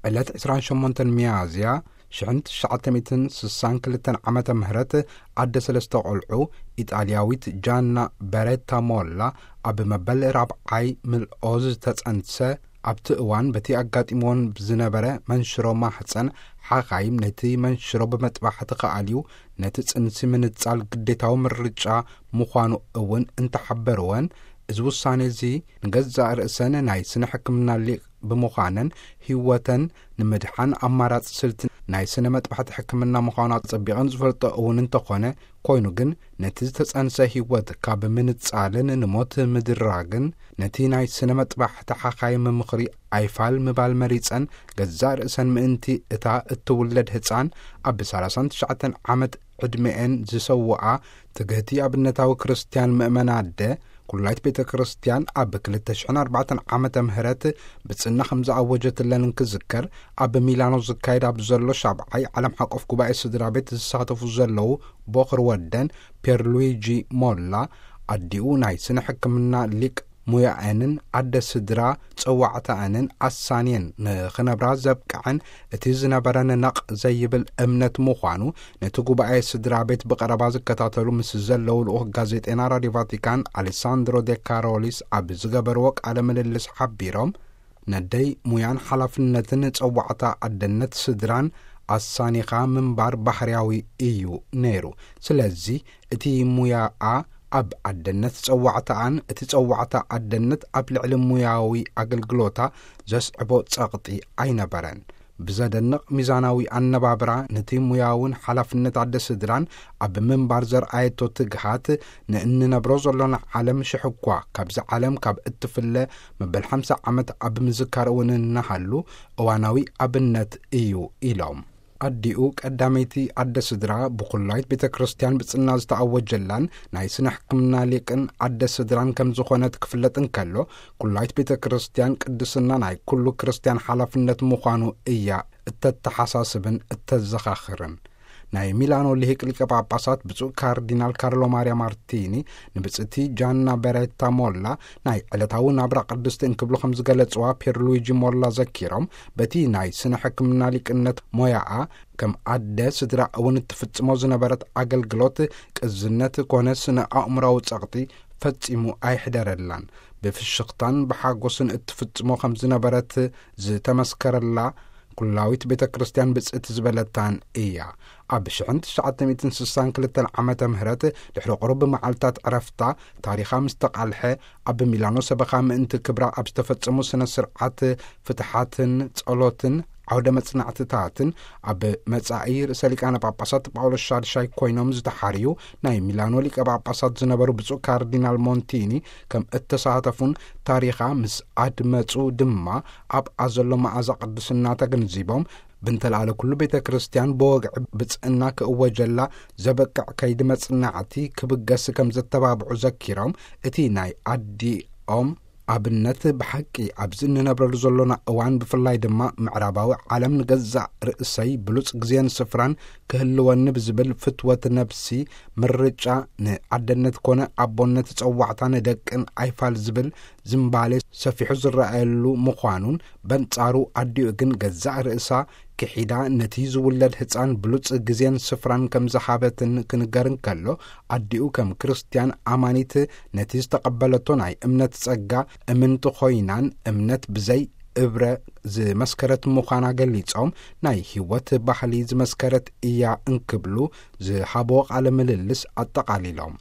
ዕለት ዕስራን ሸሞንተን ሚያዝያ ሽሕን ትሽዓተ ሚእትን ስሳን ክልተን ዓመተ ምህረት፣ ኣደ ሰለስተ ቆልዑ፣ ኢጣልያዊት ጃና በሬታ ሞላ፣ ኣብ መበል ራብዓይ ምልኦ ዝተጸንሰ፣ ኣብቲ እዋን በቲ ኣጋጢምዎን ብዝነበረ መንሽሮ ማህጸን፣ ሓኻይም ነቲ መንሽሮ ብመጥባሕቲ ክኣልዩ፣ ነቲ ጽንሲ ምንጻል ግዴታዊ ምርጫ ምዃኑ እውን እንተሓበርወን፣ እዚ ውሳኔ እዚ ንገዛእ ርእሰን ናይ ስነ ሕክምና ሊቅ ብምዃነን፣ ህይወተን ንምድሓን ኣማራጺ ስልቲ ናይ ስነ መጥባሕቲ ሕክምና ምዃኑ ኣጸቢቐን ዝፈልጦ እውን እንተኾነ፣ ኮይኑ ግን ነቲ ዝተጸንሰ ህይወት ካብ ምንጻልን ንሞት ምድራግን፣ ነቲ ናይ ስነ መጥባሕቲ ሓኻይም ምኽሪ ኣይፋል ምባል መሪጸን፣ ገዛእ ርእሰን ምእንቲ እታ እትውለድ ህጻን ኣብ ሰላሳን ትሽዓተን ዓመት ዕድሜኤን ዝሰውኣ ትግህቲ ኣብነታዊ ክርስትያን ምእመን ኣደ፣ ኩላይት ቤተ ክርስትያን ኣብ ክልተ ሽሕን ኣርባዕተን ዓመተ ምህረት ብጽና ከም ዝኣወጀትለን እንክዝከር፣ ኣብ ሚላኖ ዝካየድ ኣብ ዘሎ ሻብዓይ ዓለም ሓቆፍ ጉባኤ ስድራ ቤት ዝሳተፉ ዘለዉ ቦኽሪ ወደን ፒየርሉዊጂ ሞላ፣ ኣዲኡ ናይ ስነ ሕክምና ሊቅ ሙያኤንን ኣደ ስድራ ጸዋዕታኣንን ኣሳንየን ንኽነብራ ዘብቅዐን እቲ ዝነበረን ነቕ ዘይብል እምነት ምዃኑ ነቲ ጉባኤ ስድራ ቤት ብቐረባ ዝከታተሉ ምስ ዘለዉ ልኡኽ ጋዜጠና ራድዮ ቫቲካን ኣሌሳንድሮ ዴ ካሮሊስ ኣብ ዝገበርዎ ቃለ ምልልስ ሓቢሮም፣ ነደይ ሙያን ሓላፍነትን ጸዋዕታ ኣደነት ስድራን ኣሳኒኻ ምንባር ባህርያዊ እዩ ነይሩ። ስለዚ እቲ ሙያኣ ኣብ ኣደነት ጸዋዕታኣን እቲ ጸዋዕታ ኣደነት ኣብ ልዕሊ ሙያዊ ኣገልግሎታ ዘስዕቦ ጸቕጢ ኣይነበረን። ብዘደንቕ ሚዛናዊ ኣነባብራ ነቲ ሙያውን ሓላፍነት ኣደ ስድራን ኣብ ምንባር ዘርኣየቶ ትግሃት፣ ንእንነብሮ ዘሎና ዓለም ሽሕ እኳ ካብዚ ዓለም ካብ እትፍለ መበል ሓምሳ ዓመት ኣብ ምዝካር እውን እናሃሉ እዋናዊ ኣብነት እዩ ኢሎም። ኣዲኡ ቀዳመይቲ ኣደ ስድራ ብኩላይት ቤተ ክርስቲያን ብጽና ዝተኣወጀላን ናይ ስነ ሕክምና ሊቅን ኣደ ስድራን ከም ዝኾነት ክፍለጥ እንከሎ፣ ኩላይት ቤተ ክርስቲያን ቅድስና ናይ ኩሉ ክርስቲያን ሓላፍነት ምዃኑ እያ እተተሓሳስብን እተዘኻኽርን። ናይ ሚላኖ ልሂቅ ሊቀ ጳጳሳት ብፁዕ ካርዲናል ካርሎ ማርያ ማርቲኒ ንብጽእቲ ጃና በሬታ ሞላ ናይ ዕለታዊ ናብራ ቅድስቲ እንክብሉ ከም ዝገለጽዋ ፒየርሉዊጂ ሞላ ዘኪሮም፣ በቲ ናይ ስነ ሕክምና ሊቅነት ሞያኣ ከም ኣደ ስድራ እውን እትፍጽሞ ዝነበረት ኣገልግሎት ቅዝነት ኮነ ስነ ኣእምራዊ ጸቕጢ ፈጺሙ ኣይሕደረላን። ብፍሽኽታን ብሓጎስን እትፍጽሞ ከም ዝነበረት ዝተመስከረላ ኩላዊት ቤተ ክርስቲያን ብጽእቲ ዝበለታን እያ። ኣብ ሽሕን ትሽዓተ ሚእትን ስሳን ክልተን ዓመተ ምህረት ድሕሪ ቁሩብ መዓልታት ዕረፍታ ታሪኻ ምስ ተቓልሐ፣ ኣብ ሚላኖ ሰበኻ ምእንቲ ክብራ ኣብ ዝተፈጸሙ ስነ ስርዓት ፍትሓትን ጸሎትን ዓውደ መጽናዕትታትን ኣብ መጻኢ ርእሰ ሊቃነ ጳጳሳት ጳውሎስ ሻድሻይ ኮይኖም ዝተሓርዩ ናይ ሚላኖ ሊቀ ጳጳሳት ዝነበሩ ብፁዕ ካርዲናል ሞንቲኒ ከም እተሳተፉን ታሪኻ ምስ ኣድመጹ ድማ ኣብኣ ዘሎ መኣዛ ቅድስና ተገንዚቦም፣ ብንተልኣለ ኩሉ ቤተ ክርስቲያን ብወግዒ ብጽእና ክእወጀላ ዘበቅዕ ከይዲ መጽናዕቲ ክብገስ ከም ዘተባብዑ ዘኪሮም፣ እቲ ናይ ኣዲኦም ኣብነት ብሓቂ ኣብዚ እንነብረሉ ዘሎና እዋን፣ ብፍላይ ድማ ምዕራባዊ ዓለም ንገዛእ ርእሰይ ብሉጽ ግዜን ስፍራን ክህልወኒ ብዝብል ፍትወት ነብሲ ምርጫ ንኣደነት ኮነ ኣቦነት ጸዋዕታ ንደቅን ኣይፋል ዝብል ዝምባሌ ሰፊሑ ዝረኣየሉ ምዃኑን፣ በንጻሩ ኣዲኡ ግን ገዛእ ርእሳ ክሒዳ ነቲ ዝውለድ ህጻን ብሉጽ ግዜን ስፍራን ከም ዝሃበትን ክንገር እንከሎ፣ ኣዲኡ ከም ክርስትያን ኣማኒት ነቲ ዝተቐበለቶ ናይ እምነት ጸጋ እምንቲ ኮይናን እምነት ብዘይ እብረ ዝመስከረት ምዃና ገሊጾም፣ ናይ ህይወት ባህሊ ዝመስከረት እያ እንክብሉ ዝሃብዎ ቃለ ምልልስ ኣጠቓሊሎም።